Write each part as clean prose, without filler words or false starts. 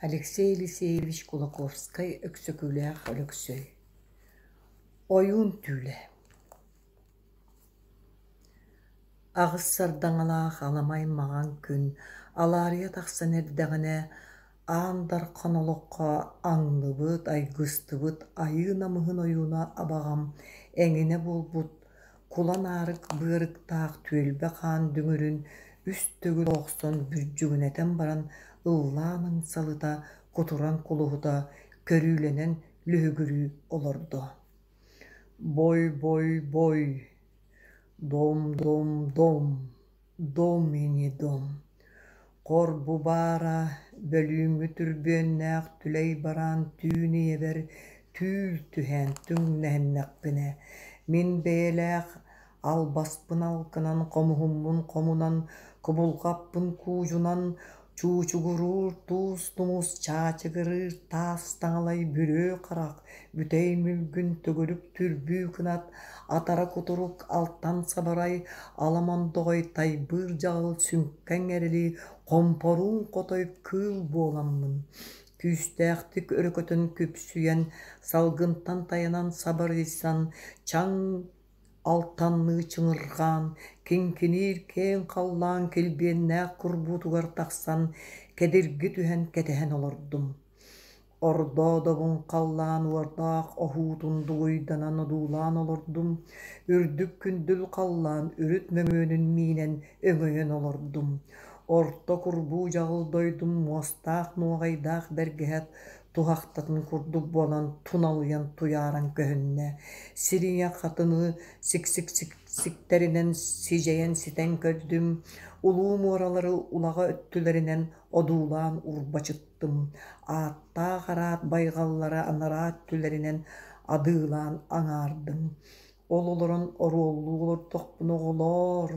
Алексей Елисеевич Кулаковскай-Өксөкүлээх Өлөксөй Ойуун түүлэ Аҕыс сардаҥалаах аламай маҥан күн алаарыйа тахсан эрдэҕинэ, Аан Дархан олоххо аҥныбыт, айгыстыбыт айыы намыһын ойууна абаҕам эҥинэ буолбут Кулан аарык быарыктаах түөлбэ хаан дүҥүрүн үс төгүл охсон бүддьүгүнэтэн баран ыллаан ыҥсалыта, кутуран кулуһута, көрүүлэнэн лүһүгүрүү олордо: «Бой-бой-бой, дом-дом-дом, дом и не дом, хор бу баара, бөлүүҥҥү түрбүөннээх түлэй бараан түүн ийэбэр түүл түһээн түҥнэһиннэхпинэ, мин бэйэлээх албаспын алкынан, хомуһуммун хомунан, кубулҕаппын куудьунан, чуучугуруур туус тумус, чаачыгырыыр таас таҥалай бүрүө харах, бүтэй мүлгүн төгүрүк түрбүү кынат, атара кутурук алтан сабарай, ала мондоҕой тайбыыр дьаҕыл сүҥкэҥ эрэли хомпоруун хотой кыыл буоламмын, күүстээхтик өрөкөтөн күпсүйэн, салгынтан тайанан сабарыйсан, чаҥ алтанныы чыҥырҕаан, киҥкиниир киэҥ халлаан килбиэннээх курбуутугар тахсан, кэдирги түһэн кэтэһэн олордум. Ордоодобун халлаан уордаах оһуутун дугуйданан одуулаан олордум, үрдүк күндүл халлаан үрүт мөҥүөнүн миинэн өҥөйөн олордум. Орто курбуу дьаҕыл дойдум муостаах нуоҕайдаах бэргэһэт туһахтатын курдук буолан туналыйан туйааран көһүннэ. Сирийэ хатыны сиксик-сиктэринэн сидьэйэн ситэн көрдүм, улуу муоралары улаҕа өттүлэринэн одуулаан урбачыттым, ааттаах араат байҕаллара анараа өттүлэринэн адыылаан аҥаардым. Ол олорон оруоллуу олордохпуна оҕолоор,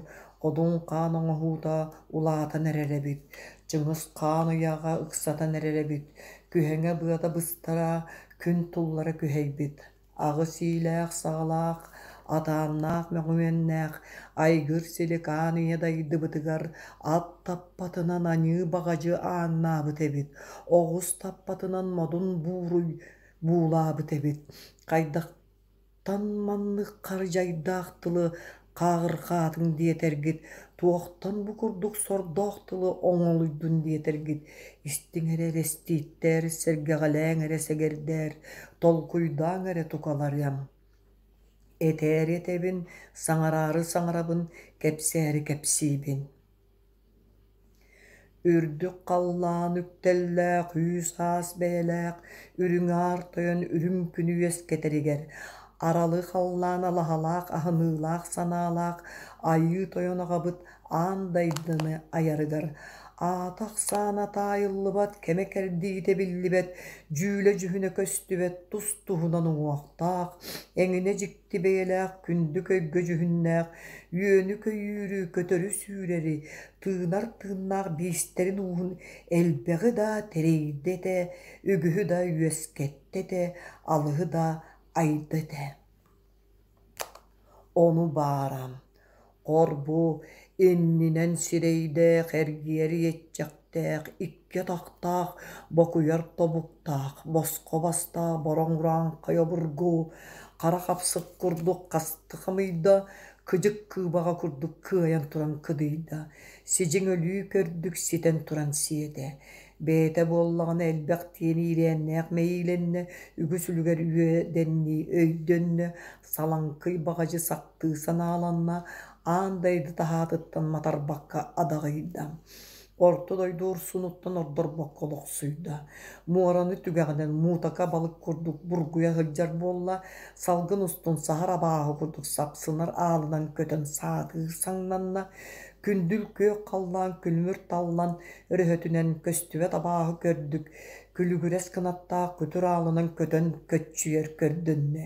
Одун хаан оҥоһуута улаатан эрэр эбит, Чыҥыс хаан ыйааҕа ыксатан эрэр эбит, күһэҥэ быата быстара, күн туллара күһэйбит. Аҕыс иилээх-саҕалаах, атааннаах мөҥүөннээх айгыр силик аан ийэ дайдыбытыгар ат таппатынан аньыы баҕадьы ааҥнаабыт эбит, оҕус таппатынан модун бууруй буулаабыт эбит. Хайдах Тан маннык хардьайдаах тылы хааҕырҕаатыҥ диэтэргит, туохтан бу курдук сордоох тылы оҥолуйдун диэтэргит, истиҥ эрэ эрэстииттэр, сэргэҕэлээҥ эрэ сэгэрдээр, толкуйдааҥ эрэ тукаларыам. Этээри этэбин, саҥараары саҥарабын, кэпсээри кэпсиибин. Үрдүк халлаан үктэллээх үүс-аас бэйэлээх үрүҥ аар тойон үрүҥ күнү үөскэтэригэр, аралы халлаан алаһалаах аһыныылаах санаалаах Айыы Тойон аҕабыт аан дайдыны айарыгар, аата-ахсаана таайыллыбат, кэмэ-кэрдиитэ биллибэт, дьүүлэ-дьүһүнэ көстүбэт тус-туһунан уҥуохтаах, эҥинэ дьикти дьикти бэйэлээх күндү көйгө дьүһүннээх, үөнү-көйүүрү, көтөрү-сүүрэри, тыынар тыыннаах биистэрин ууһун элбэҕи да тэрийдэ этэ, үгүһү да үөскэттэ этэ, алыһы да айда этэ. Ону баара, хор-бу иннинэн сирэйдээх эргийэр иэччэхтээх икки атахтаах, бокуйар тобуктаах, босхо бастаах бороҥ урааҥхай обургу, хара хапсык курдук хасты хамыйда, кыдьык кыыбаҕа курдук кыайан туран кыдыйда, сидьиҥ өлүү көрдүк ситэн туран сиэтэ. Бэйэтэ буоллаҕына элбэх диэн иирээннээх мэйиилэннэ, үгүс үлүгэр үөдэннии өйдөннө, салаҥкый баҕадьы сахтыы санааланна, аан дайды таһаатыттан матарбакка адаҕыйда. Орто дойду урсунуттан ордорбокко олохсуйда. Муораны түгэҕинэн муутака балык курдук бургуйа сылдьар буолла, салгын устун саһар абааһы курдук сапсынар аалынан көтөн саатыыр саҥнанна, күндүл күөх халлаан күлүмүр таллан өрөһөтүнэн көстүбэт абааһы көрдүк, күлүгүрэс кынаттаах күтүр аалынан көтөн көччүйэр көрдөннө.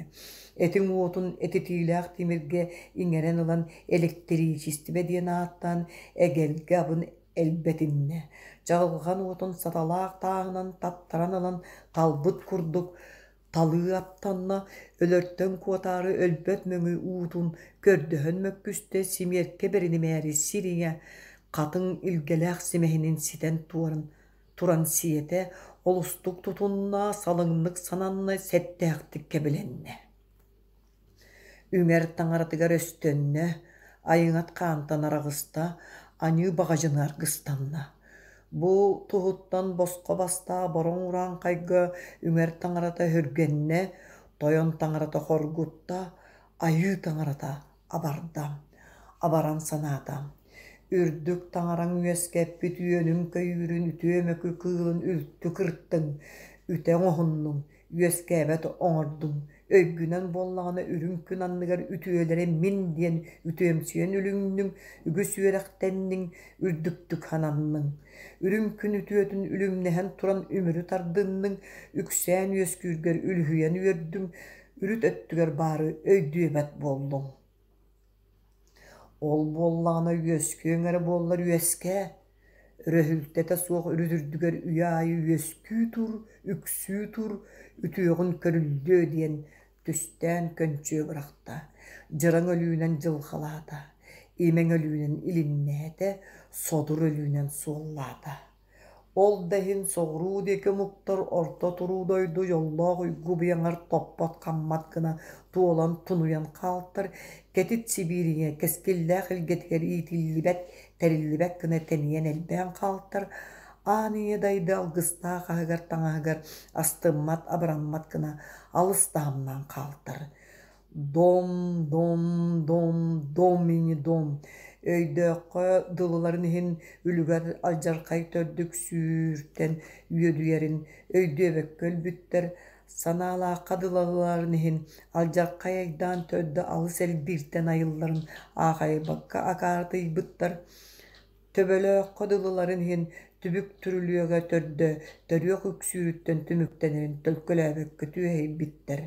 Этиҥ уотун этитиилээх тимиргэ иҥэрэн ылан элэктэриичистибэ диэн ааттаан эгэлгэ абын элбэтиннэ. Чаҕылҕан уотун саталаах тааһынан таттаран ылан талбыт курдук талыы аттанна, өлөртөн куотаары өлбөт мөҥү уутун көрдөһөн мөккүстэ, симиэркэ бэринимээри сир ийэ хатыҥ илгэлээх симэһинин ситэн туоран. туран сиэтэ, олустук тутунна, салыҥнык сананна, сэттээхтик кэбилэннэ. Үҥэр таҥаратыгар өстөннө, айыҥат хаантан араҕыста, аньыы баҕадьыны аргыстанна. Бу туһуттан босхо бастаа бороҥ урааҥхайга үҥэр таҥарата өһүргэннэ, тойон таҥарата хоргутта, айыы таҥарата абарда, абаран санаата: Үрдүк таҥараҥ үөскэппит үөнүн-көйүүрүн үтүө мөкү кыылын үлтү кыртыҥ, үтэ оҥоһуннуҥ, үөскээбэт оҥордуҥ, өйгүнэн буоллаҕына үрүҥ күн анныгар үтүөлэрэ мин диэн үтүөмсүйэн үлүҥнүҥ, үгүс үөрэхтэнниҥ, үрдүктүк сананныҥ. Үрүҥ күн үтүөтүн үлүмнэһэн туран үмүрү тардынныҥ, үксээн үөскүүргэр үлүһүйэн үөрдүҥ, үрүт өттүгэр баары өйдүөбэт буоллуҥ. Ол буоллаҕына үөскүөҥ эрэ буоллар үөскээ, өрөһүлтэтэ суох үрүт үрдүгэр үйэ аайы үөскүү тур, үксүү тур, үтүөҕүн көрүллүө диэн түстээн көнчүө бырахта, дьыраҥ өлүүнэн дьылҕалаата, имэҥ өлүүнэн илиннээтэ, содур өлүүнэн суоллаата. Ол да иһин соҕуруу диэки омуктар орто туруу дойду дьоллоох уйгу быйаҥар топпот-хаммат гына туолан тунуйан хаалтар, кэтит Сибиириҥэ кэскиллээх илгэтигэр иитиллибэт, тэриллибэт гына тэнийэн элбээн хаалтар, аан ийэ дайды алгыстаах аһыгар-таҥаһыгар астыммат, абыраммат гына алыс таһымнаан хаалтар. Дом, дом, дом, дом и не дом өйдөөххө дылыларын иһин үлүгэр алдьархай төрдүк сүүртэн үөдүйэрин өйдүөбэккэ өлбүттэр, санаалаахха дылыларын иһин алдьархай айдаан төрдө алыс элбииртэн айылларын аахайбакка акаарытыйбыттар. Төбөлөөххө дылыларын иһин түбүк түрүлүөгэ төрдө төрүөх үксүүрүттэн түмүктэнэрин төлкөлөөбөккө түөһэйбиттэр.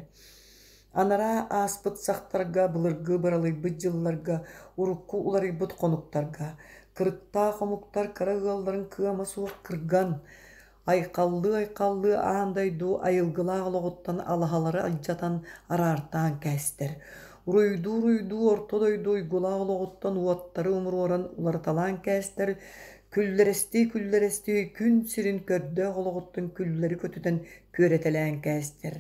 Анараа ааспыт сахтарга, былыргы быралыйбыт дьылларга, урукку уларыйбыт хонуктарга кырыктаах омуктар кыра ыалларын кыама суох кырган, Айхаллыы-айхаллыы аан дойду айылгылаах олоҕуттан алаһалары алдьатан, араартаан кээстэр. Уруйдуу-уруйдуу орто дойду уйгулаах олоҕуттан уоттары умуруоран уларыталаан кээстэр, күллэрэстии-күллэрэстии күн сирин көрдөөх олоҕуттан күллэри көтүтэн күөрэтэлээн кээстэр.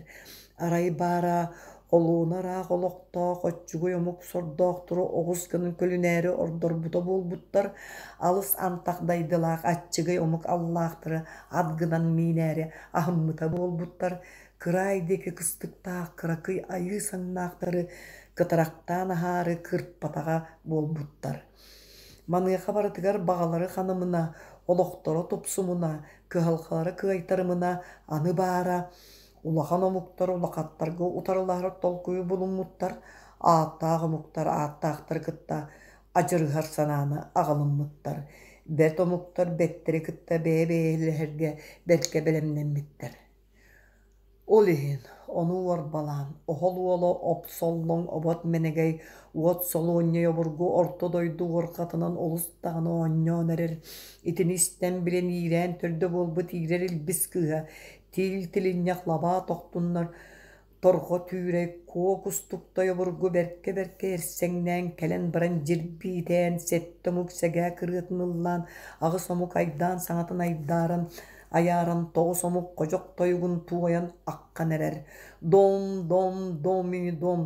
Арай баара олуона ыраах олохтоох оччугуй омук сордоохтору оҕус гынан көлүнээри ордорбута буолбуттар, алыс антах дайдылаах аччыгый омук аллаахтары ат гынан миинээри аһыммыта буолбуттар, кыраай диэки кыстыктаах кыракый айыы саҥнаахтары кытарахтаан аһаары кырпатаҕа буолбуттар. Маныаха барытыгар баҕалары ханымына, олохторо тупсумуна, кыһалҕалара кыайтарымына аны баара Улахан омуктар улахаттарга утарылаһар толкуйу булуммуттар, ааттаах омуктар ааттаахтары кытта адьырыһар санааны аҕалыммыттар, бэрт омуктар бэттэри кытта бэйэ-бэйэлэһэргэ бэркэ бэлэмнэммиттэр. Ол иһин ону уорбалаан, оһол уола Опсоллоҥ обот мэнэгэй уот солуонньай обургу орто дойду уорҕатынан олус даҕаны оонньоон эрэр, итини истэн билэн иирээн төрдө буолбут иирэр илбис кыыһа Тиил тилинньэх лабаа тохтуннар, торҕо түүрэй куо кустуктай обургу бэркэ-бэркэ эрсэҥнээн кэлэн баран дьирбиитээн, сэттэ омук сэгээ кырыатын ыллаан, аҕыс омук айдаан саҥатын айдааран, айааран, тоҕус омук ходьох тойугун туойан аххан эрэр: «Дом, дом, дом и дом,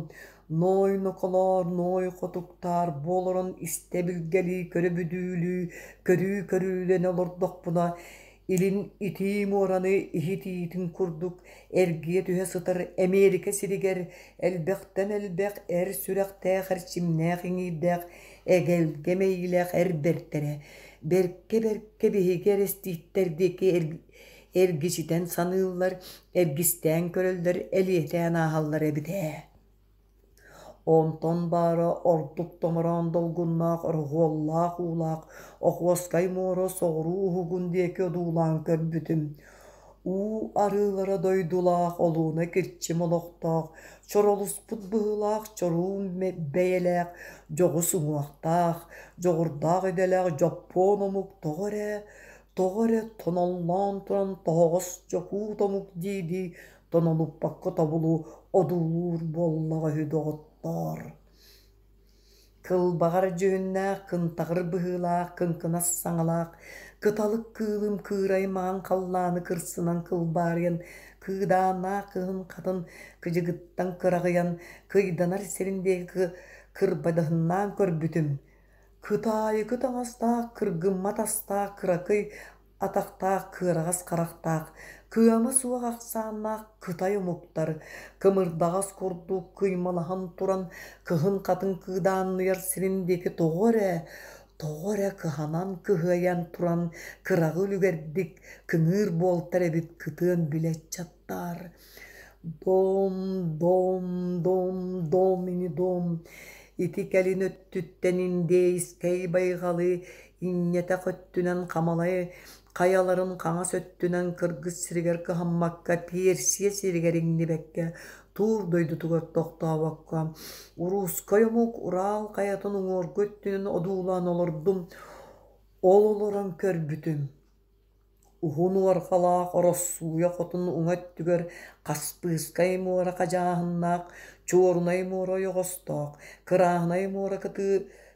ной ноколоор, ной хотуктаар, бу олорон истэ билгэлии, көрө бүдүүлүү, көрүү көрүүлэнэ олордохпуна, Илин итии муораны иһит иитин курдук эргийэ түһэ сытар Эмиэрикэ сиригэр элбэхтэн элбэх эр сүрэхтээх эрчимнээх иҥиирдээх эгэлгэ мэйиилээх эр бэртэрэ бэркэ-бэркэ биһиги эрэстииттэр диэки эргичитэн саныыллар, эргистээн көрөллөр, элиэтээн ааһаллар эбит ээ. Онтон баара ордук томороон долгуннаах ороһуоллаах уулаах Охуоскай муора соҕуруу уһугун диэки одуулаан көрбүтүм. Уу арыылара дойдулаах олууна кирчим олохтоох, чоролуспут быһыылаах чоруун бэйэлээх, дьоҕус уҥуохтаах, дьоҕурдаах идэлээх дьоппуон омук тоҕо эрэ, тоҕо эрэ тоноллоон туран тоһоҕос дьокуут омук дии-дии тонолуппакка тобулу одуулуур буоллаҕа үһү доҕоттоор Кылбаҕар дьүһүннээх, кынтаҕыр быһыылаах, кыҥкынас саҥалаах, Кыталык кыылым кыырай маҥан халлааны кырсынан кылбаарыйан, кыыдааннаах кыһын хатын кыдьыгыттан кыраҕыйан, кыйданар сирин диэки кырбадаһыннаан көрбүтүм. Кытаайыкы таҥастаах, кыргыммат астаах кыракый атахтаах, кыараҕас харахтаах, кыама суох ахсааннаах кытай омуктар, кымырдаҕас курдук кыймалаһан туран, кыһын хатыҥ кыыдаанныйар сирин диэки тоҕо эрэ, тоҕо эрэ кыһанан кыһыайан туран кыраҕы үлүгэрдик кыҥыыр буолтар эбит кытыан билэ ыччаттаар. Дом, дом, дом, дом ини дом Ити кэлин өттүттэн индейскэй байҕалы инньэтэх өттүнэн Хамалай хайаларын хаҥас өттүнэн кыргыс сиригэр кыһаммакка Персия сиригэр иҥнибэккэ Туур дойдутугар тохтообокко уруускай омук Урал хайатын уҥуоргу өттүнэн одуулаан олордум, ол олорон көрбүтүм Уһун уорҕалаах Ороссууйа хотун уҥа өттүгэр Хаспыыскай муора хадьааһыннаах, Чуорунай муора ойоҕостоох, Кырааһынай муора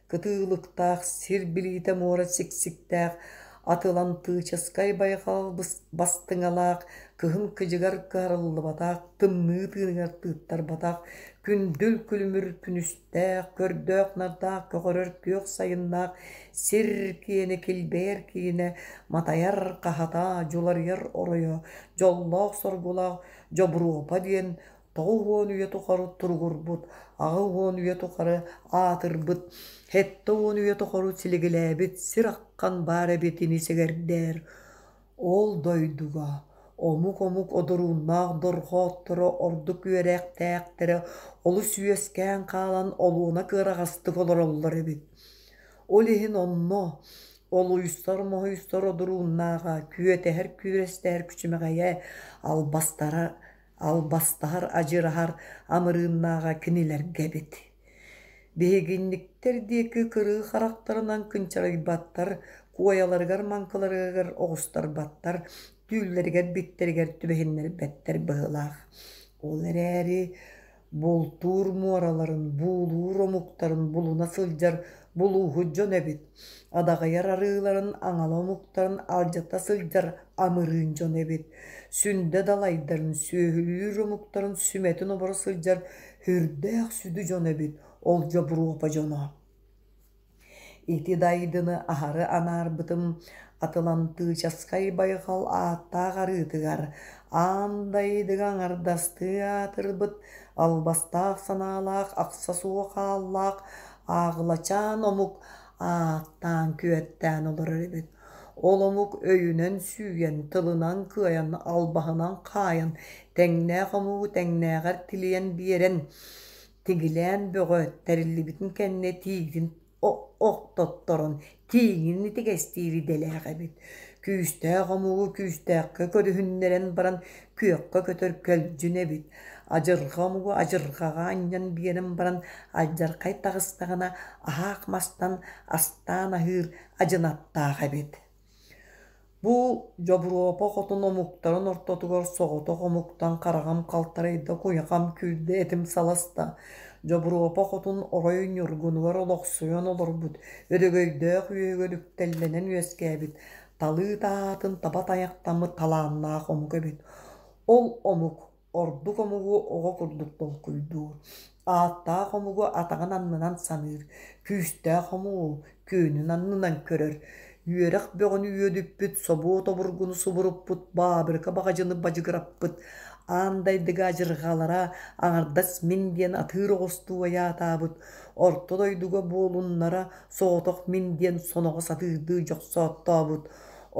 кытыылыктаах, сир билиитэ муора сиксиктээх, Атылантыычаскай байҕал бастыҥалаах, кыһын кыдьыгар кыһарыллыбатах, тымныы тыыныгар тыыттарбатах, күндүл күлүмүр күнүс көрдөөх-нардаах көҕөрөр күөх сайыннаах сир киэнэ килбэйэр киинэ матайар хаһата дьуларыйар оройо дьоллоох-соргулаах Дьобуруопа диэн 90 үйэ тухары туругурбут, 80 үйэ тухары аатырбыт, 70 үйэ тухары силигилээбит сир аххан баар эбит ини сэгэрдээр. Ол дойдуга омук-омук одурууннаах дорҕоотторо ордук үөрэхтээхтэрэ олус үөскээн хаалан олуона кыараҕастык олороллор эбит. Ол иһин онно олуйсар-моһуйсар одурууннааҕа, күөтэһэр-күөстэһэр күчүмэҕэйэ, албастара албастаһар адьыраһар амырыыннааҕа кинилэргэ эбит. Биһигинниктэр диэки кырыы харахтарынан кынчарыйбаттар, куойаларыгар-маҥкыларыгар оҕустарбаттар, түүллэригэр-биттэригэр түбэһиннэрбэттэр быһыылаах. Ол эрээри бултуур муораларын, буулуур омуктарын булуна сылдьар булууһут дьон эбит, адаҕыйар арыыларын аҥала омуктарын алдьата сылдьар амырыын дьон эбит, сүндэ далайдарын, сүөһүлүүр омуктарын сүмэтин оборо сылдьар сүрдээх сүдү дьон эбит ол Дьобуруопа дьоно. Ити дайдыны аһары анаарбытым Атылантыычаскай байҕал ааттаах арыытыгар аан дайдыга аҥардастыы аатырбыт албастаах санаалаах ахса суох ааллаах ааҕылачаан омук ааттаан күөттээн олорор эбит. Ол омук өйүнэн сүүйэн, тылынан кыайан, албаһынан хаайан, тэҥнээх омугу тэҥнээҕэр тилийэн биэрэн, тигилээн бөҕө тэриллибитин кэннэ тиигин охтотторон тииҥин итигэстиир идэлээх эбит. Күүстээх омугу күүстээххэ көрүһүннэрэн баран күөххэ көтөр көлдьүн эбит. Адьырҕа омугу адьырҕаҕа анньан биэрэн баран алдьархай таҕыстаҕына аһаах мастан астаан аһыыр адьынаттаах эбит. Бу Дьобуруопа хотун омуктарын ортотугар соҕотох омуктан хараҕым халтарыйда, куйахам күүрдэ, этим саласта. Дьобуруопа хотун орой ньургунугар олохсуйан олорбут, өрөгөйдөөх үөһүгэр үктэллэнэн үөскээбит, талыы таһаатын таба тайахтаммыт талааннаах омук эбит. Ол омук Ордук омугу оҕо курдук толкуйдуур, ааттаах омугу атаҕын аннынан саныыр, күүстээх омугу күөнүн аннынан көрөр, үөрэх бөҕөнү үөдүппүт, собуот обургуну субуруппут, баабырыка баҕадьыны бадьыгыраппыт, аан дайдыга адьырҕалара аҥардас мин диэн атыыр оҕустуу айаатаабыт, орто дойдуга буолуннара соҕотох мин диэн соноҕос атыырдыы дьохсооттообут,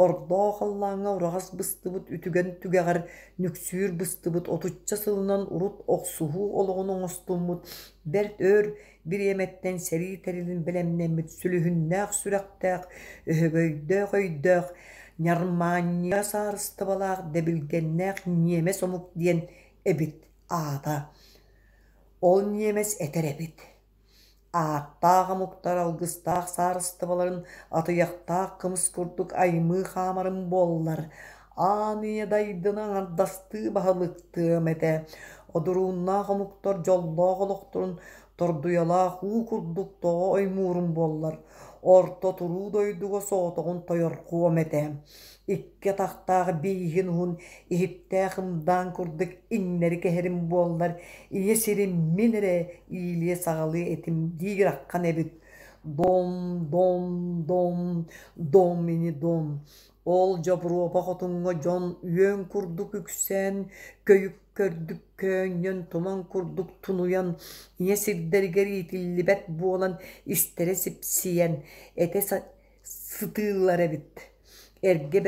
ордоо халлааҥҥа ураҕас быстыбыт үтүгэн түгэҕэр нүксүүр быстыбыт отучча сылынан урут охсуһуу олоҕун оҥостуммут бэрт өр бириэмэттэн сэрии тэрилин бэлэмнэммит сүлүһүннээх сүрэхтээх, өһөгөйдөөх өйдөөх, ньармаанньыйа саарыстыбалаах дэбилгэннээх ньиэмэс омук диэн эбит аата. Ол ньиэмэс этэр эбит Ааттаах омуктар алгыстаах саарыстыбаларын атыйахтаах кымыс курдук аймыы хаамарым буоллар, аан ийэ дайдыны аҥардастыы баһылыктыам этэ, одурууннаах омуктар дьоллоох олохторун тордуйалаах уу курдук тоҕо оймуурум буоллар, Орто туруу дойдуга соҕотоҕун тойорхуом этэ. Икки атахтаах бииһин уһун иһиттээх ымдаан курдук иҥнэри кэһэрим буоллар, ийэ сирим мин эрэ иилиэ-саҕалыа этим диир аххан эбит. Дом, дом, дом, дом ини дом. Ол Дьобуруопа хотуҥҥа дьон үөн курдук үксээн, көйүк көрдүк көөнньөн, туман курдук тунуйан, ийэ сирдэригэр иитиллибэт буолан истэрэ сипсийэн, этэ сытыыллар эбит. Эргэ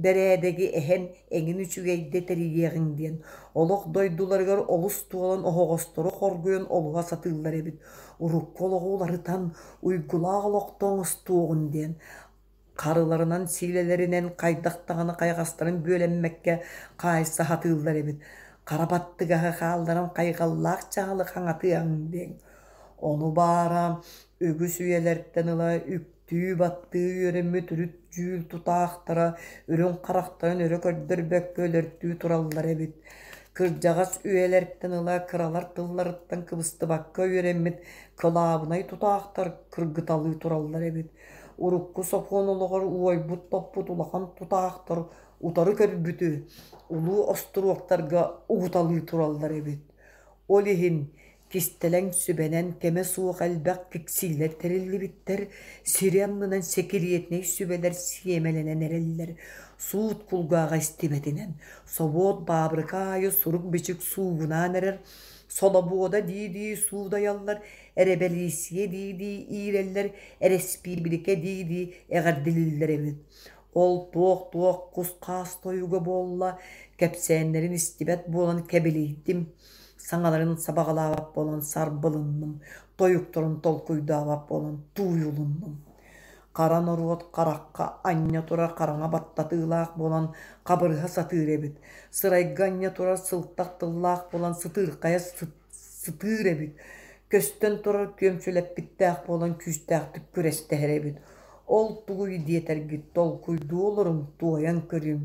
бэрээдэги эһэн эҥин үчүгэйдэ тэрийиэҕиҥ диэн, олох дойдуларыгар олус туолан оһоҕостору хоргуйан олуһа сатыыллар эбит. Урукку олоҕу уларытан, уйгулаах олохто оҥостуоҕун диэн Харыларынан сиилэлэринэн хайдах даҕаны хайаҕастарын бүөлэммэккэ хаайса сатыыллар эбит, хара баттыгаһы хаалларан хайҕаллаах дьаһалы хаҥатыаҥ диэн. Ону баара үгүс үйэлэртэн ыла үктүү-баттыы үөрэммит үрүт дьүүл тутаахтара үрүҥ харахтарын өрө көрдөрбөккө өлөртүү тураллар эбит. Кырдьаҕас үйэлэртэн ыла кыралар тылларыттан кыбыстыбакка үөрэммит кылаабынай тутаахтар кыргыталыы тураллар эбит. Урукку сокуон олоҕор уойбут-топпут улахан тутаахтар утары көрбүтү улуу остуруоктарга угуталыы тураллар эбит. Ол иһин кистэлэҥ сүбэнэн кэмэ суох элбэх киксиилэр тэриллибиттэр, сири аннынан сэкириэтинэй сүбэлэр сиэмэлэнэн эрэллэр, суут кулгааҕа истибэтинэн, собуот баабырыка аайы сурук-бичик суугунаан эрэр, солобуода дии-дии суудайаллар, эрэбэлииссийэ дии-дии иирэллэр, эрэспиибиликэ дии-дии эҕэрдэлииллэр эбит. Ол туох-туох кус-хаас тойуга буолла, кэпсээннэрин истибэт буолан кэбилийдим, саҥаларын сабаҕалаабат буолан сарбылынным, тойуктарын толкуйдаабат буолан тууйулуннум. Хара норуот харахха анньа турар хараҥа баттатыылаах буолан хабырыһа сатыыр эбит, сырайга анньа турар сылтах тыллаах буолан сытыырхайа сытыыр эбит, көстөн турар күөмчүлэппиттээх буолан күүстээхтик күрэстэһэр эбит. Ол тугуй диэтэргит толкуйдуу олоруҥ, туойан көрүҥ.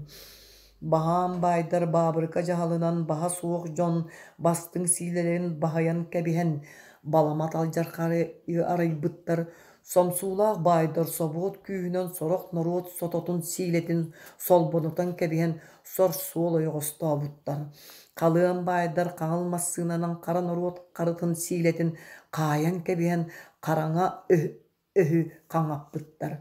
Баһаам баайдар баабырыка дьаһалынан баһа суох дьон бастыҥ сиилэлэрин баһыйан кэбиһэн, баламат алдьархайы арыйбыттар, Сомсуулаах баайдар собуот күүһүнэн сорох норуот сототун сиилэтин солбонутан кэбиһэн сор-суол ойоҕостообуттар. Халыан баайдар хаҥыл массыынанан хара норуот харытын сиилэтин хаайан кэбиһэн хараҥа өһү хаҥаппыттар.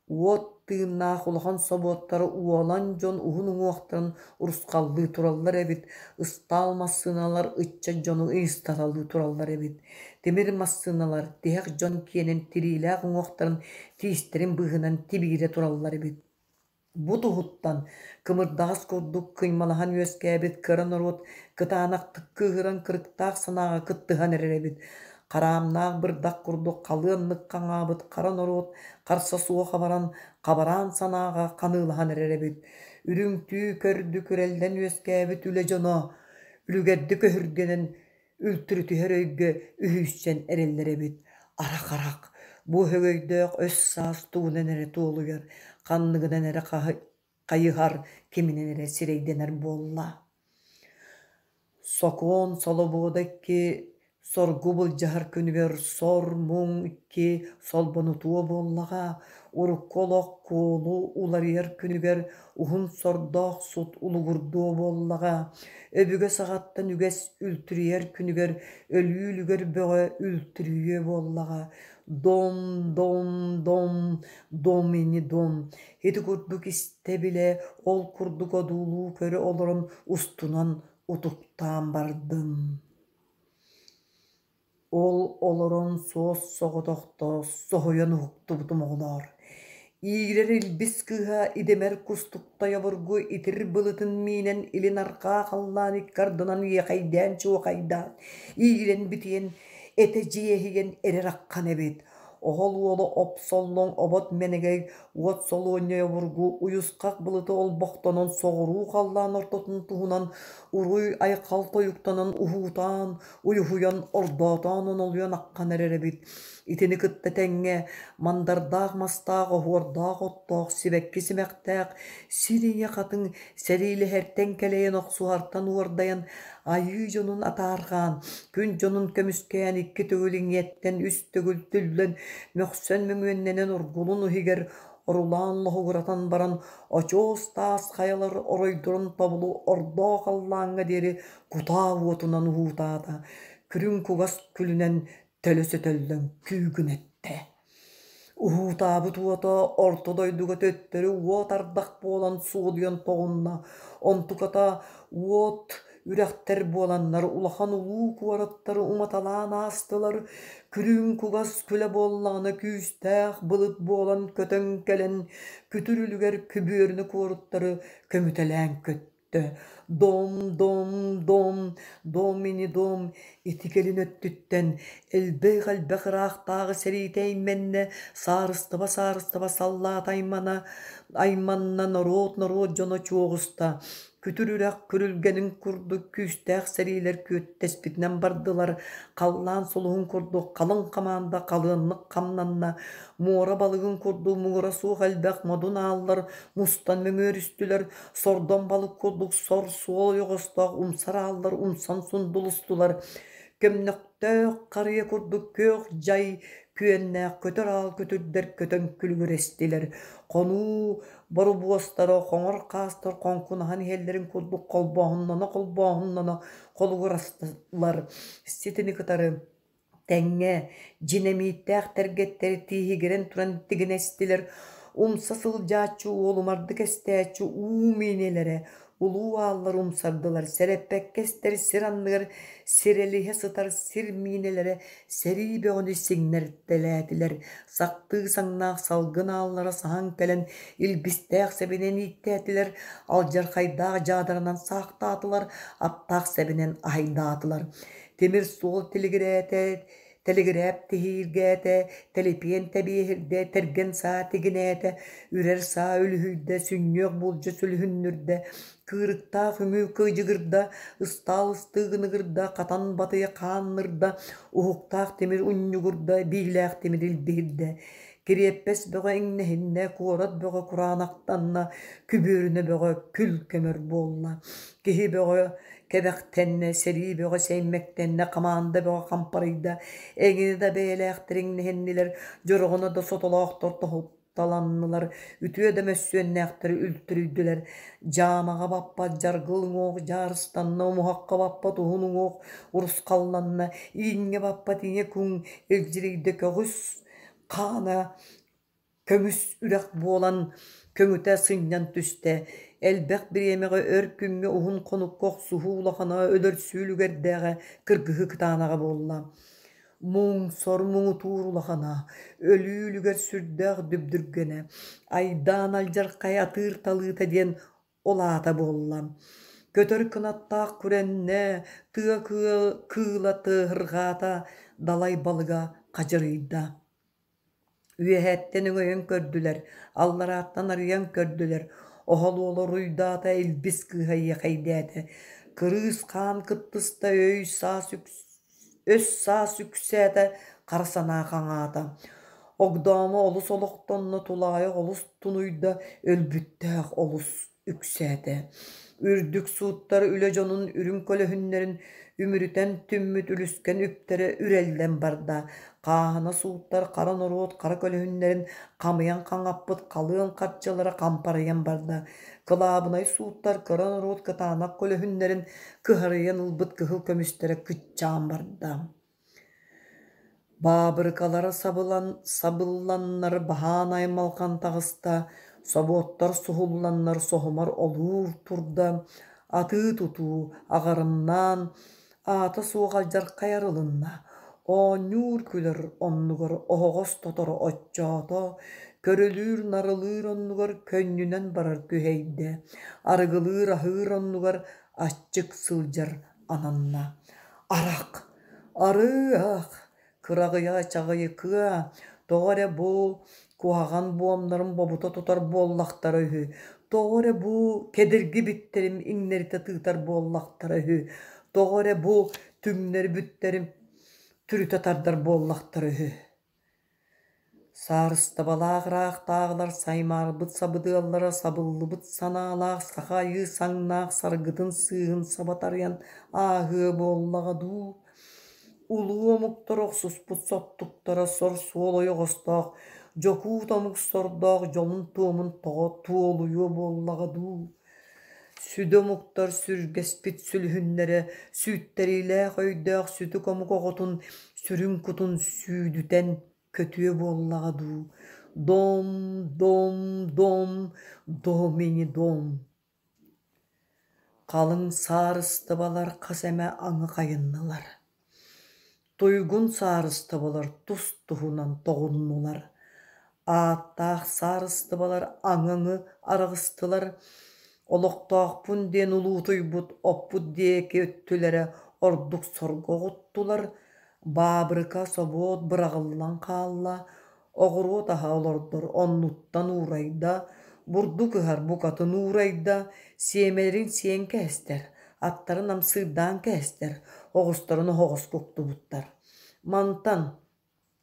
Уот тыыннаах улахан собуоттары уолан дьон уһун уҥуохтарын урусхаллыы тураллар эбит, ыстаал массыыналар ыччат дьону ыйыстаталыы тураллар эбит. Тимир массыыналар тиһэх дьон киэнин тириилээх уҥуохтарын тиистэрин быыһынан тибиирэ тураллар эбит. Бу туһуттан кымырдаҕас курдук кыймалаһан үөскээбит кыра норуот кытаанахтык кыыһыран кырыктаах санааҕа кыттыһан эрэр эбит. Хараамнаах бырдах курдук халыаннык хаҥаабыт хара норуот харса суох абаран, хабараан санааҕа ханыылаһан эрэр эбит. Үрүҥ түү көрдүк үрэллэн үөскээбит үлэ дьоно үлүгэрдик өһүргэнэн үлтүрүтүһэр өйгө үһүйсэн эрэллэр эбит. Арах-арах, бу өһөгөйдөөх өс-саас тугунан эрэ туолуйар, ханныгынан эрэ хайыһар, киминэн эрэ сирэйдэнэр буолла. Сокуон солобуода икки соргу былдьаһар күнүгэр сор-муҥ икки солбонутуо буоллаҕа, урукку олох куолу уларыйар күнүгэр уһун сордоох сут улугурдуо буоллаҕа, өбүгэ саҕаттан үгэс үлтүрүйэр күнүгэр өлүү үлүгэр бөҕө үлтүрүйүө буоллаҕа. Дом, дом, дом, дом ини дом. Ити курдук истэ-билэ, ол курдук одуулуу көрө олорон устунан утуктаан бардым. Ол олорон суос-соҕотохто соһуйан уһуктубутум оҕолоор, иирэр илбис кыыһа идэмэр кустуктай обургу итир былытын миинэн илин арҕаа халлаан икки ардынан иэхэйдээн-чуохайдаан, иирэн битийэн, этэ дьиэһийэн эрэр аххан эбит. Оһол уола опсоллоҥ обот мэнэгэй Уот солуонньай обургу уйусхах былыты олбохтонон соҕуруу халлаан ортотун туһунан уруй-айхал тойуктанан уһуутаан, уйуһуйан, ордоотоон онолуйан аххан эрэр эбит. Итини кытта тэҥҥэ мандардаах мастаах, оһуордаах оттоох, сибэкки симэхтээх сир ийэ хатыҥ сэриилэһэртэн кэлэйэн охсуһартан уордайан айыы дьонун атаарҕаан, күн дьонун көмүскээн икки төгүл иҥиэттэн, үс төгүл түллэн, мөхсөн мөҥүөннэнэн оргулун иһигэр орулаан лоһугуратан баран очуос таас хайалар оройдорун тобулу ордоо халлааҥҥа диэри кутаа уотунан уһуутаата, күрүҥ кугас күлүнэн төлө сөтөллөн күүгүнэттэ. Уһуутаабыт уота орто дойдуга төттөрү уот ардах буолан суодуйан тоҕунна, онтуката уот үрэхтэр буоланнар улахан улуу куораттары уматалаан аастылар, күрүҥ кугас күлэ буоллаҕына күүстээх былыт буолан көтөн кэлэн күтүр үлүгэр күбүөрүнэ куораттары көмүтэлээн көттө. Дом, дом, дом, дом ини дом ити кэлин өттүттэн элбэх-элбэх ыраахтааҕы сэриитэ эймэннэ, саарыстыба-саарыстыба саллаата аймана, айманна норуот-норуот дьоно чуоҕуста, күтүр үрэх күрүлгэнин курдук күүстээх сэриилэр күөттэспитинэн бардылар, халлаан сулуһун курдук халыҥ хамаанда халыаннык хамнанна, муора балыгын курдук муҥура суох элбэх модун ааллар мустан мөҥүөрүстүлэр, Сордоҥ балык курдук сор суол ойоҕостоох умсар ааллар умсан сундулустулар, көмнөхтөөх харыйа курдук күөх дьай күөннээх көтөр аал көтүрдэр көтөн күлүгүрэстилэр, хонуу борубуостара хоҥор хаастар хоҥкунаһан иһэллэрин курдук холбооһуннана-холбооһуннана холугурастылар, ситини кытары Тэҥҥэ дьинэмииттээх тэргэттэри тииһигирэн туран тигинэстилэр, умса сылдьааччы уолумардык эстээччи уу миинэлэрэ улуу ааллар умсардылар, сэрэппэккэ эстэр сир анныгар сирэлиһэ сытар сир миинэлэрэ сэрии бөҕөнү сиҥнэртэлээтилэр, сахтыы саҥнаах салгын ааллара саһан кэлэн илбистээх сэбинэн ииктээтилэр, алдьархайдаах дьаадаранан саахтаатылар, аптаах сэбинэн аһайдаатылар. Тимир суол тилигирээтэ, тэлигирээп тиһииргээтэ, тэлипиэн тэбиэһирдэ, тэргэн саа тигинээтэ, үрэр саа үлүһүйдэ, сүнньүөх булдьа сүлүһүннүрдэ, кыырыктаах үҥүү кыдьыгырда, ыстаал ыстыыгыныгырда, хатан батыйа хааннырда, уһуктаах тимир унньугурда, биилээх тимир илбиһирдэ. Кириэппэс бөҕө иҥнэһиннэ, куорат бөҕө кураанахтанна, күбүөрүнэ бөҕө күл көмөр буолла. Киһи бөҕө Кэбэхтэннэ, сэрии бөҕө сэймэктэннэ, хамаанда бөҕө хампарыйда, эҥинэ да бэйэлээхтэр иҥнэһиннилэр, дьороҕоно да сотолоохтор тоһутталаннылар, үтүө да мөссүөннээхтэр үлтүрүйдүлэр. Дьаамаҕа баппат дьаргыл уҥуох дьаарыстанна, умуһахха баппат уһун уҥуох урусхалланна, ииҥҥэ баппат ийэ куҥ илдьирийдэ көҕүс хаана Көмүс үрэх буолан көҥүтэ сынньан түстэ, элбэх бириэмэҕэ өр күҥҥэ уһун хонукка охсуһуу улахана өлөрсүү үлүгэрдээҕэ кыргыһыы кытаанаҕа буолла. Муҥ, сор муҥутуур улахана, өлүү үлүгэр сүрдээх дүбдүргэнэ, айдаан алдьархай атыыр талыыта диэн ол аата буолла. Көтөр кынаттаах күрэннэ, тыа кыыла тыаһырҕаата, далай балыга хадьырыйда. Үөһэттэн өҥөйөн көрдүлэр, алларааттан арыйан көрдүлэр, оһол уола уруйдаата, илбис кыыһа иэхэйдээтэ, кырыыс хаан кыттыста, өй-саас өс-саас үксээтэ, хара санаа хаҥаата. Огдоомо олус олохтонно, тулаайах олус тунуйда, өлбүттээх олус үксээтэ. Үрдүк сууттар үлэ дьонун үрүҥ көлөһүннэрин үмүрүтэн түммүт үлүскэн үптэрэ үрэллэн барда. Хааһына сууттар хара норуот хара көлөһүннэрин хамыйан хаҥаппыт халыан харчылара хампарыйан барда. Кылаабынай сууттар кыра норуот кытаанах көлөһүннэрин кыһарыйан ылбыт кыһыл көмүстэрэ кыччаан барда. Баабырыкалара сабылан сабылланнар баһаан аймалҕан таҕыста, собуоттар суһулланнар соһумар олуур турда, атыы-тутуу аҕарымнаан, аата суох алдьархай арылынна, оонньуур-күлэр оннугар оһоҕос тоторо оччоото, көрүлүүр-нарылыыр оннугар көнньүнэн барар күһэйдэ, арыгылыыр-аһыыр оннугар аччык сылдьар ананна. Арах, арыах, кыраҕыйа чаҕыйыкыа, тоҕо эрэ бу Куһаҕан буомнарын бобута тутар буоллахтара үһү, тоҕо эрэ бу кэдирги биттэрим иҥнэритэ тыытар буоллахтара үһү, тоҕо эрэ бу түҥнэри бүттэрим түрүтэ тардар буоллахтара үһү. Саарыстыбалаах ыраахтааҕылар саймаарбыт сабыдыаллара сабыллыбыт санаалаах саха айыы саҥнаах саргытын сыыһын саба тарыйан ааһыа буоллаҕа дуу? Улуу омуктар охсуспут соттуктара сор суол ойоҕостоох, дьокуут омук сордоох дьолун туомун тоҕо туолуйуо буоллаҕа дуу? Сүдү омуктар сүргэспит сүлүһүннэрэ сүүйтэриилээх өйдөөх сүтүк омук оҕотун сүрүн кутун сүүдүтэн көтүө буоллаҕа дуу? Дом, дом, дом, домини дом. Халыҥ саарыстыбалар хас эмэ аҥы хайыннылар. Туйгун саарыстыбалар тус-туһунан тоҕуннулар. Ааттаах саарыстыбалар аҥы-аҥы араҕыстылар. Олохтоохпун диэн улуутуйбут оппут диэки өттүлэрэ ордук сорго оҕуттулар. Баабырыка, собуот быраҕыллан хаалла, оҕуруот аһа олордор оннуттан уурайда, бурдук ыһар букатын уурайда, сиэмэлэрин сиэн кээстэр, аттарын амсыырдаан кээстэр, оҕустарын оһоҕоско уктубуттар. Мантан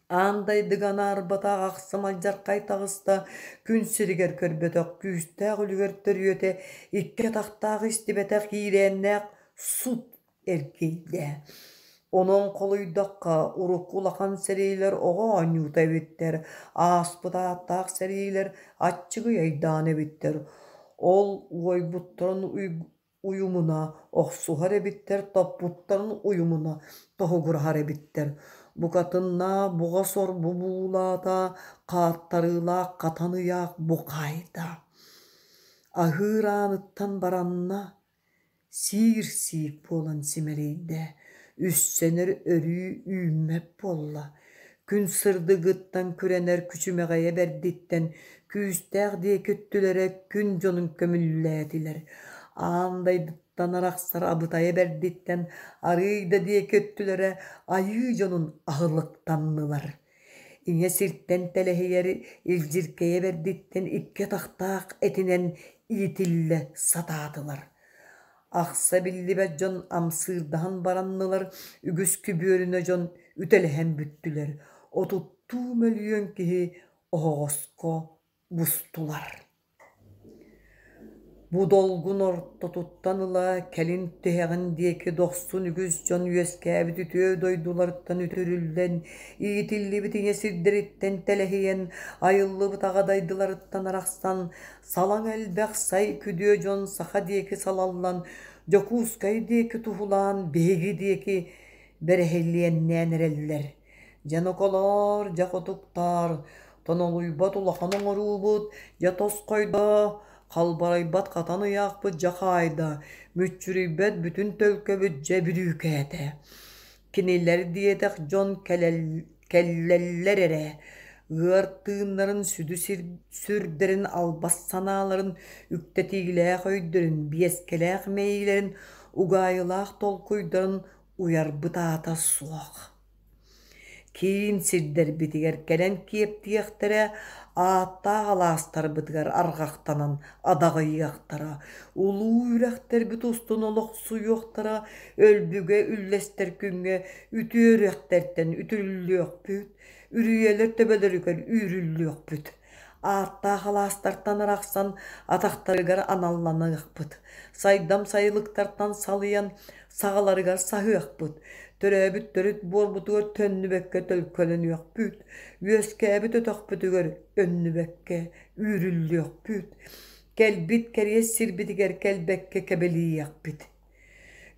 аан дайдыга анаарбатах ахсым алдьархай таҕыста, күн сиригэр көрбөтөх күүстээх үлүгэр төрүөтэ, икки атахтаах истибэтэх иирээннээх сут эргийдэ. Онон холуйдахха, урукку улахан сэриилэр оҕо оонньуута эбиттэр, ааспыт ааттаах сэриилэр аччыгый айдаан эбиттэр. Ол уойбуттарын уйумуна охсуһар эбиттэр, топпуттарын уйумуна тоһугураһар эбиттэр. Букатыннаах буҕа сор бу буулаата, хааттарыылаах хатан ыйаах бу хаайда. Аһыыр ааныттан баранна, Сиир-сиик буолан симэлийдэ, үссэнэр өрүү үүммэт буолла, күн сырдыгыттан күрэнэр күчүмэҕэйэ бэрдиттэн күүстээх диэки өттүлэрэ күн дьонун көмүллээтилэр, аан дайдыттан арахсар абытайа бэрдиттэн арыый да диэки өттүлэрэ айыы дьонун аһылыктаннылар. Ийэ сиртэн тэлэһийэр илдьиркэйэ бэрдиттэн икки атахтаах этинэн иитиллэ сатаатылар. Ахса биллибэт дьон амсыырдаһан бараннылар, үгүс күбүөрүнэ дьон үтэлэһэн бүттүлэр, отуттуу мөлүйүөн киһи оһоҕоско бустулар. Бу долгун ортотуттан ыла кэлин тиһэҕин диэки дохсун үгүс дьон үөскээбит үтүө дойдуларыттан үтүрүллэн, иитиллибит ийэ сирдэриттэн тэлэһийэн, айыллыбыт аҕа дайдыларыттан арахсан, салаҥ элбэх сай күдүө дьон саха диэки салаллан, Дьокуускай диэки туһулаан биһиги диэки бэрэһилиэннээн эрэллэр. Дьэ ноколоор, дьэ хотуктаар, тонолуйбат улахан оҥоруубут, дьэ тосхойдо, халбарыйбат хатан ыйаахпыт дьэ хаайда, мүччүрүйбэт бүтүн төлкөбүт дьэ бүрүүкээтэ. Кинилэр диэтэх дьон кэллэллэр эрэ, ыар тыыннарын сүдү сүрдэрин албас санааларын, үктэтиилээх өйдөрүн, биэскэлээх мэйиилэрин, угаайылаах толкуйдарын уйарбыт аата суох. Киин сирдэрбитигэр кэлэн киэптиэхтэрэ, ааттаах алаастарбытыгар арҕахтанан адаҕыйыахтара, улуу үрэхтэрбит устун олохсуйуохтара, өлбүгэ үллэстэр күҥҥэ үтүө үрэхтэртэн үтүрүллүөхпүт, үрүйэлэр төбөлөрүгэр үүрүллүөхпүт. Ааттаах алаастартан арахсан атахтарыгар аналланыахпыт, сайдам сайылыктартан салыйан саҕаларыгар саһыахпыт, төрөөбүт төрүт буорбутугар төннүбэккэ төлкөлөнүөхпүт, үөскээбит өтөхпүтүгэр өннүбэккэ үүрүллүөхпүт, кэлбит кэриэс сирбитигэр кэлбэккэ кэбэлийиэхпит.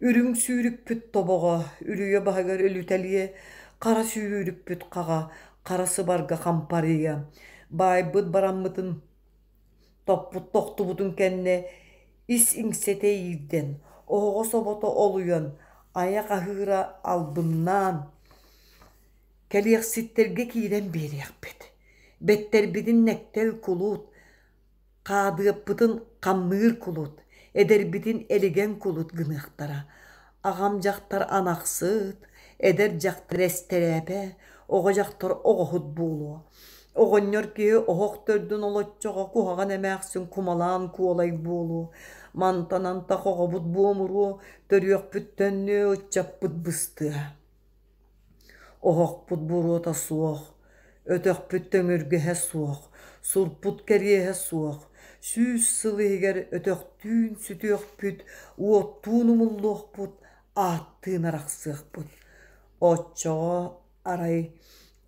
Үрүҥ сүүрүкпүт тобоҕо үрүйэ баһыгар өлүтэлиэ, хара сүүрүкпүт хаҕа хара сыбарга хампарыйа, баайбыт бараммытын топпут тохтубутун кэннэ ис иҥсэтэ иирдэн, оһоҕос обото олуйан, айах аһыыра албыннаан, кэлиэхситтэргэ киирэн биэриэхпит, бэттэрбитин нэктэл кулут, Хаадыаппытын хамныыр кулут, эдэрбитин элигэн кулут гыныахтара. Аҕам дьахтар анахсыт, эдэр дьахтар эстэрээпэ, оҕо дьахтар оҕоһут буолуо. Оҕонньор киһи оһох төрдүн олоччоҕо куһаҕан эмээхсин кумалаан куолай буолуо, мантан антах оҕобут буомуруо, төрүөхпүт төннүө, ыччаппыт быстыа. Оһохпут буруота суох, өтөхпүт төҥүргэһэ суох, сурпут кэриэһэ суох, 100 сыл иһигэр өтөхтүүн сүтүөхпүт, уоттуун умуллуохпут, ааттыын арахсыахпыт. Оччоҕо арай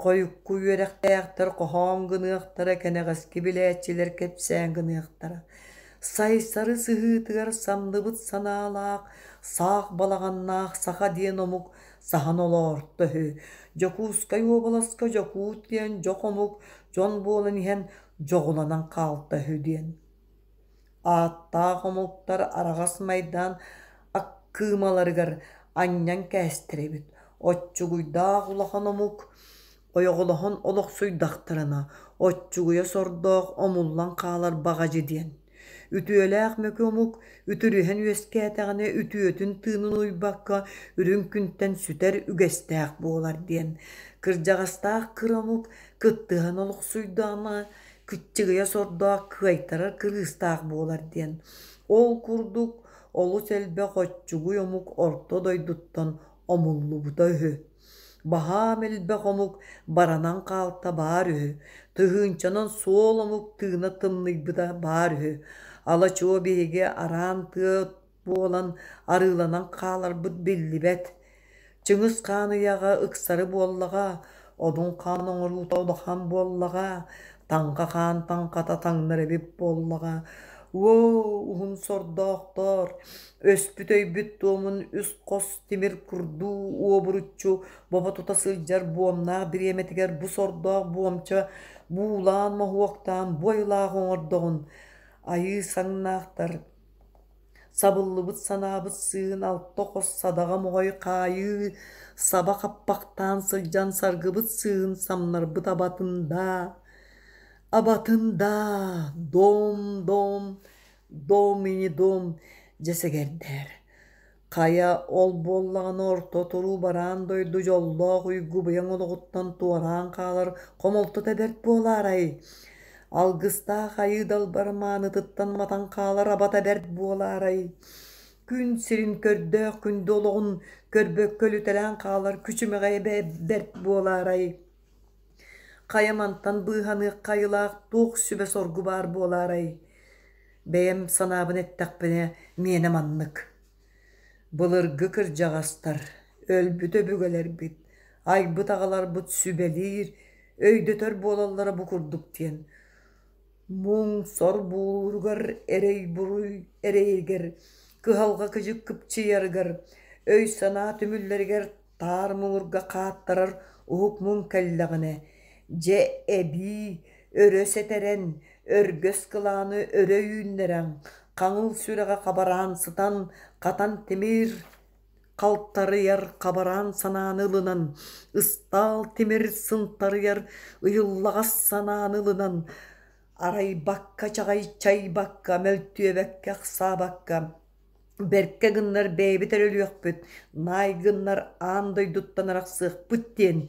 хойукку үөрэхтээхтэр хоһоон гыныахтара, кэнэҕэски билээччилэр кэпсээн гыныахтара. Сайсары сыһыытыгар самныбыт санаалаах, саах балаҕаннаах саха диэн омук саһан олоорто үһү. Дьокуускай уобаласка дьокуут диэн дьох омук дьон буолан иһэн дьоҕуланан хаалта үһү диэн. Ааттаах омуктар араҕас майдаан аккыымаларыгар анньан кээстэр эбит. Оччугуйдаах улахан омук ойоҕолоһон олохсуйдахтарына, оччугуйа сордоох омуллан хаалар баҕадьы диэн. Үтүөлээх мөкү омук үтүрүһэн үөскээтэҕинэ үтүөтүн тыынын уйбакка үрүҥ күнтэн сүтэр үгэстээх буолар диэн. Кырдьаҕастаах кыра омук кыттыһан олохсуйдаҕына кыччыгыйа сордоох кыайтарар кырыыстаах буолар диэн. Ол курдук олус элбэх оччугуй омук орто дойдуттан омуллубута үһү. Баһаам элбэх омук баранан хаалта баар үһү, тыһыынчанан суол омук тыына тымныйбыта баар үһү. Ала-чуо биһиги араан тыа буолан арыыланан хааларбыт биллибэт. Чыҥыс Хаан ыйааҕа ыксары буоллаҕа, Одун Хаан оҥоруута улахан буоллаҕа, Таҥха Хаан таҥхата таҥнар эбит буоллаҕа. Уо, уһун сордоохтор, өспүт өйбүт туомун үс хос тимир курдуу уобуруччу бобо тута сылдьар буомнаах бириэмэтигэр бу сордоох буомча буулаан моһуоктаан бу айылаах оҥордоҕун айыы саҥнаахтар Сабыллыбыт санаабыт сыыһын алта хос садаҕа моҕой хаайыы саба хаппахтаан сылдьан саргыбыт сыыһын самнарбыт абатын даа, абатын даа, дом, дом, дом и не дом дьэ сэгэрдээр. Хайа, ол буоллаҕына орто туруу бараан дойду дьоллоох уйгу быйаҥ олоҕуттан туораан хаалар хомолтото бэрт буолаарай? Алгыстаах айыы далбар маанытыттан матан хаалар абата бэрт буолаарай? Күн сирин көрдөөх күндү олоҕун көрбөккө өлүтэлээн хаалар күчүмэҕэйэ бэрт буолаарай? Хайа мантан быыһаныахха айылаах туох сүбэ-соргу баар буолаарай? Бэйэм санаабын эттэхпинэ, миэнэ маннык. Былыргы кырдьаҕастар, өлбүт өбүгэлэрбит, айбыт аҕаларбыт сүбэлиир, өйдөтөр буолаллара бу курдук диэн. Муҥ-сор буулууругар, эрэй-буруй эрэйигэр, кыһалҕа кыдьык кыпчыйарыгар, өй-санаа түмүллэригэр таар муҥурга хааттарар уһук муҥ кэллэҕинэ, дьэ эбии өрө сэтэрэн, өргөс кылааны өрө үүннэрэн, хаҥыл сүрэҕэ хабараан сытан, хатан тимир халтарыйар хабараан санааны ылынан, ыстаал тимир сынтарыйар ыйыллаҕас санааны ылынан, арайбакка чаҕайчайбакка, мөлтүөбэккэ ахсаабакка, бэркэ гыннар бэйэбит эрэ өлүөхпүт, наай гыннар аан дойдуттан арахсыахпыт диэн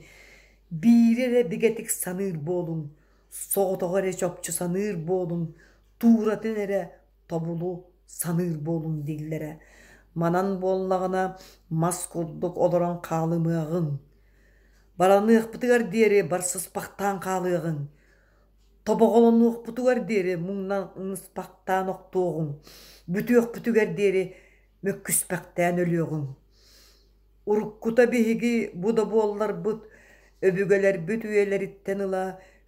биири эрэ бигэтик саныыр буолуҥ, соҕотоҕо эрэ чопчу саныыр буолуҥ, тууратын эрэ тобулу саныыр буолуҥ дииллэрэ. Манан буоллаҕына мас курдук олорон хаалымыаҕыҥ. Бараныахпытыгар диэри барсыспахтаан хаалыаҕыҥ. Тобоҕолонуохпутугар диэри муҥнаныспахтаан охтуоҕуҥ, бүтүөхпүтүгэр диэри мөккүспэхтээн өлүөҕүҥ. Уруккута биһиги бу да буолларбыт, өбүгэлэрбит үйэлэриттэн ыла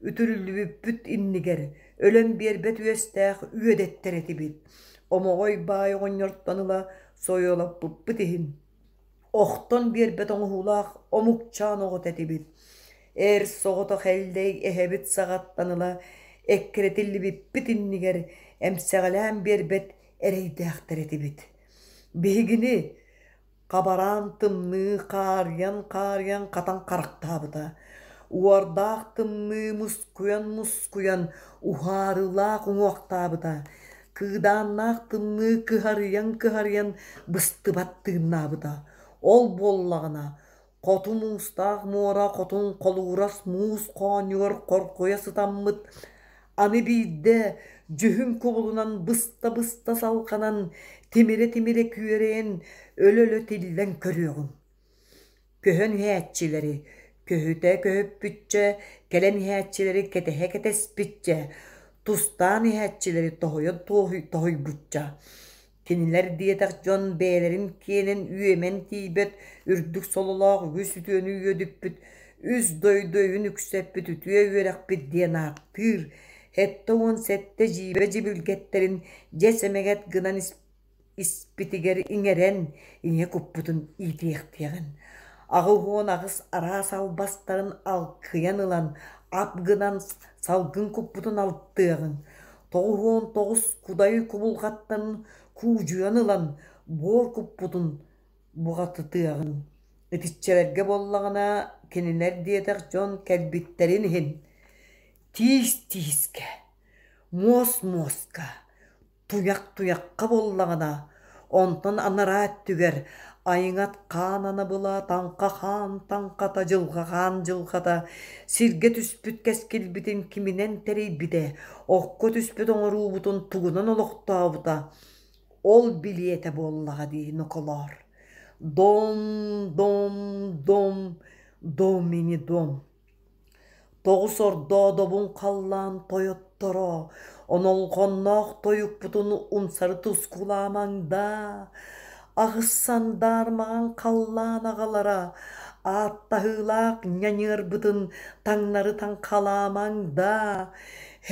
үтүрүллүбүппүт иннигэр өлөн биэрбэт үөстээх үөдэттэр этибит. Омоҕой баай оҕонньортон ыла сойуолаппыппыт иһин охтон биэрбэт оҥоһуулаах омукчаан оҕото этибит. Эр соҕотох Эллэй эһэбит саҕаттан ыла эккирэтиллибиппит иннигэр эмсэҕэлээн биэрбэт эрэйдээхтэр этибит. Биһигини хабараан тымныы хаарыйан-хаарыйан хатан харахтаабыта. Уордаах тымныы мускуйан-мускуйан уһаарылаах уҥуохтаабыта. Кыыдааннаах тымныы кыһарыйан-кыһарыйан быстыбат тыыннаабыта. Ол буоллаҕына. Хоту муустаах муора хотун холуурас муус хоонньугар хоргуйа сытаммыт, аны биирдэ дьүһүн кубулунан быста-быста салҕанан, тимирэ-тимирэ күөрэйэн, өлө-өлө тиллэн көрүөҕүҥ. Көһөн иһээччилэри, көһүтэ көһүппүччэ, кэлэн иһээччилэри кэтэһэ кэтэспиччэ, тустаан иһээччилэри тоһуйа тоһуйбучча, Кинилэр диэтэх дьон бэйэлэрин киэнин үөмэн тиийбэт үрдүк сололоох үгүс үтүөнү үөдүппүт, үс дойду өйүн үксэппит үтүө үөрэхпит диэн ааттыыр, 77 дьиибэ дьибилгэттэрин дьэс эмэгэт гынан испитигэр иҥэрэн, ийэ куппутун иитиэхтиэҕин. 88 араас албастарын алкыйан ылан, ап гынан салгын куппутун алтыаҕыҥ. 99 кудай кубулҕаттан куудьуйан ылан, буор куппутун буҕатытыаҕын. Итиччэлэргэ буоллаҕына, кинилэр диэтэх дьон кэлбиттэрин иһин тиис тиискэ, муос муоска, туйах туйахха буоллаҕына, онтон анараа өттүгэр айыҥат хаан анабыла, таҥха хаан таҥхата, дьылҕа хаан дьылҕата, сиргэ түспүт кэскилбитин киминэн тэрийбитэ, окко түспүт оҥоруубутун тугунан олохтообута, ол билиэтэ буоллаҕа дии ноколоор. Дом, дом, дом, домини дом. Тоҕус ордоодобун халлаан тойотторо, онолҕонноох тойукпутун умсары тускулаамаҥ даа, аҕыс сандаар маҥан халлаан аҕалара, ааттаһыылаах ньаньыарбытын таҥнары таҥхалаамаҥ даа,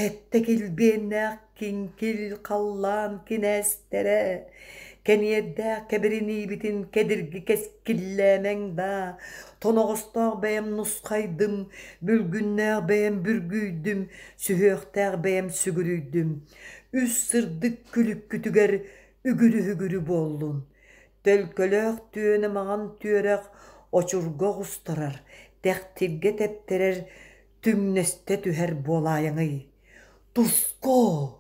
эттэ килбиэннээх Киҥкил халлаан кинээстэрэ, кэниэрдээх кэбириниибитин кэдирги кэскиллээмэҥ даа, тоноҕостоох бэйэм нусхайдым, бүлгүннээх бэйэм бүргүйдүм, сүһүөхтээх бэйэм сүгүрүйдүм, үс сырдык күлүккүтүгэр үгүрү-үгүрү буоллун. Төлкөлөөх түөнэ маҥан түөрэх очурга оҕустарар, тэхтиргэ тэптэрэр түҥнэстэ түһэр буолаайаҥый. Туску!